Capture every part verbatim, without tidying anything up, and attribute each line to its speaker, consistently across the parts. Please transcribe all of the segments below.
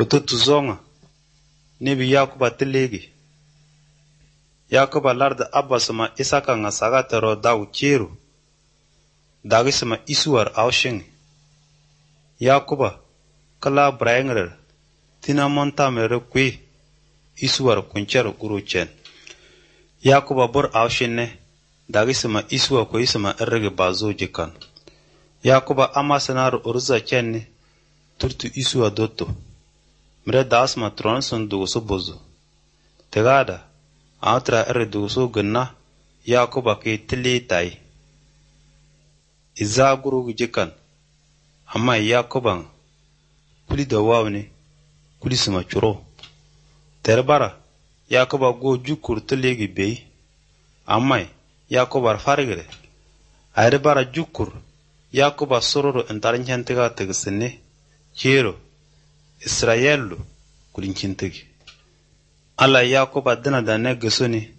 Speaker 1: Kutu tuzonga nebi Yakuba tilegi. Yakuba larda Abbasuma Isaka nga sagatero dawu chiru. Dagisuma isuwar awshingi. Yakuba kala brayengrer tina monta mere kwi isuwar kuncher guruchen. Yakuba bur awshinne dagisuma isuwa ko isuma errege bazo jikan. Yakuba amasanar urza chenne turtu isuwa dotto. Mre dasma tronson dugusu bozo. Tegada atra erre dugusu gna Yakuba ke tili tai. Iza guru jikan. Amma Yakuba kuli da wawne kuli suma churo. Terbara Yakuba go jukur tilegi bei. Amma Yakuba farigre. Airbara jukur Yakuba sororo entarinchantega tegsene. Chiro Israelu kulinchintegi. Alla Yakuba dina da ne gesoni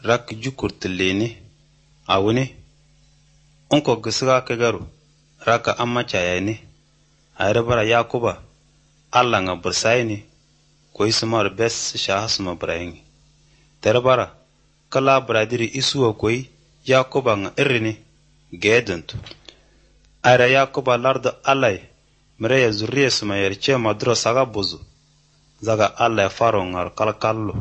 Speaker 1: rak jukur tileni. Awuni onko gesiga kegaru raka amma chayani. Airbara Yakuba alla nga bursaini ko ismar bes shahasma braingi. Terbara kala bradiri isuwa koi Yakuba nga irrini gedentu. Aira Yakuba larda alai mreya zuriya suma yerche madro saga bozu zaga alai faro ngar kalkallo.